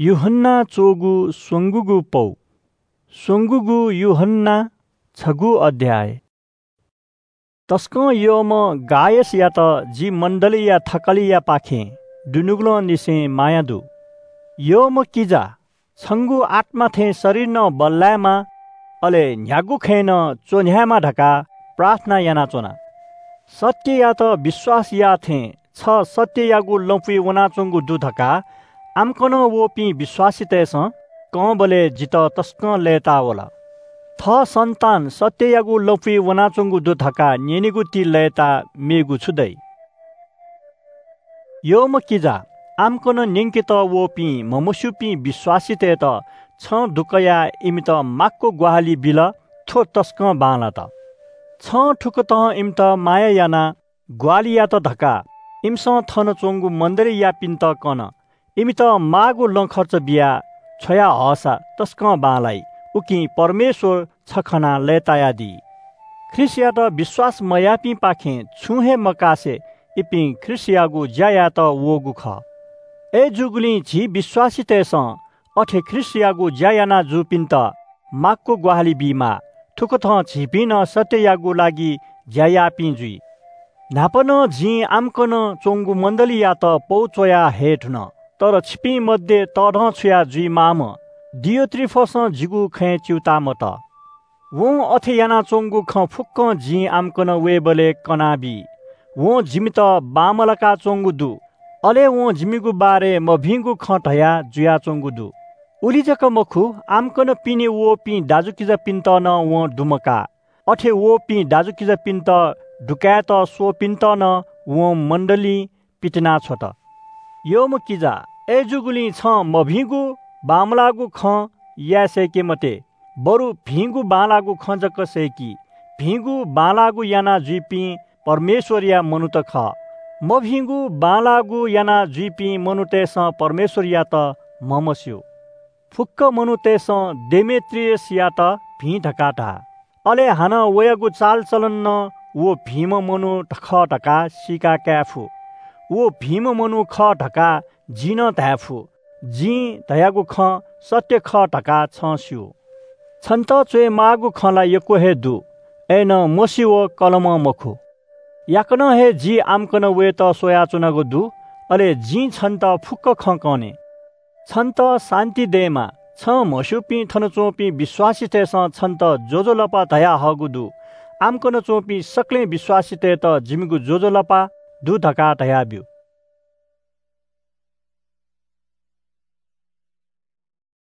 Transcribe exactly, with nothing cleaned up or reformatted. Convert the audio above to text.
यूहन्ना च्वःगु स्वंगूगु पौ। स्वंगूगु यूहन्ना, छगू अध्याय। तसकं यःम्ह गायसयात जि मण्डलीया थकालियापाखें दुनुगलंनिसें माया दु। यःम्ह किजा, छंगु आत्मा थें शरीर नं बल्लायेमा, अले न्ह्यागु खँय् नं च्वन्ह्यायेमा धकाः प्रार्थना यानाच्वना। सत्ययात विश्वास याः थें छ सत्ययागु लँपुइ वनाच्वंगु दु धकाः आम्कनं वःपिं विश्वासीतय्‌सं कंबलय् जितः तसकं लय्‌ताः वल। थः सन्तान सत्ययागु लँपुइ वनाच्वंगु दु धकाः न्यनेगु ति लय्‌ताः मेगु छु दइ? यःम्ह किजा, आम्कनं न्यंकेत वःपिं म्हमस्यूपिं विश्वासीतय्‌त छं दुकयाः इमित माक्व ग्वाहालि बिल, थ्व तसकं बांलात। छं थुकथं इमित माया यानाः ग्वाहालि यात धकाः इमिसं थन च्वंगु मण्डलीयापिन्त कन। इमित माःगु लँखर्च बियाः छ्वया हःसा तसकं बांलाइ, उकिं परमेश्वर छ खनाः लय्‌तायादी। ख्रीष्टयात विश्वास मयाःपिंपाखें छुं हे मकासे इपिं ख्रीष्टयागु ज्या यायेत वःगु खः। अय्‌जूगुलिं झी विश्वासीतय्‌सं अथे ख्रीष्टयागु ज्या याना जूपिन्त माक्व ग्वाहालि बीमाः। थुकथं झीपिं नं सत्ययागु लागि ज्या याःपिं जुइ। न्हापा नं जिं आम्कनं च्वंगु मण्डलीयात पौ च्वया हये धुन, तर छिपिं मध्ये तःधंछुया जुइमाःम्ह दियोत्रिफसं जिगु खँय् च्यूताः मत। वं अथे यानाच्वंगु खँ फुक्कं जिं आम्कनं वयेबलय् कनाबी। वं जिमित बांमलाकाच्वंगु दु, अले वं जिमिगु बारे मभिंगु खँ धया जुयाच्वंगु दु। उलि जक मखु, आम्कनं पिने वःपिं दाजुकिजापिन्त नं वं दुमकाः। अथे वःपिं दाजुकिजापिन्त दुकायेत स्वःपिन्त नं वं मण्डलीं पितिनाछ्वत। यःम्ह किजा, अय्‌जूगुलिं छं मभिंगु बांमलाःगु खँ याये सय्‌के मते, बरु भिंगु बांलाःगु खँ जक सय्‌कि। भिंगु बांलाःगु याना जुइपिं परमेश्वरया मनूत खः। मभिंगु बांलाःगु याना जुइपिं मनूतय्‌सं परमेश्वरयात म्हमस्यू। फुक्क मनूतय्‌सं डेमेत्रियसयात भिं धकाः धाः। अले हानं वयागु चालचलन नं व भिंम्ह मनू खः धकाः सीका काये फु। व भिंम्ह मनू खः धकाः जिं नं धाये फु। जिं धयागु खँ सत्य खः धकाः छं स्यू। छन्त च्वयेमाःगु खँ ला यक्व हे दु, अय्‌नं मसिवः कलमं मखु। याकनं हे जि आम्कनं वयेत स्वयाच्वनागु दु, अले जिं छन्त फुक्क खँ कने। छन्त शान्ति दयेमा। छं म्हस्यूपिं थन च्वंपिं विश्वासीतय्‌सं छन्त ज्वजलपा धयाहःगु दु। आम्कनं च्वंपिं सकलें विश्वासीतय्‌त जिमिगु ज्वजलपा दु धकाः धयाब्यु।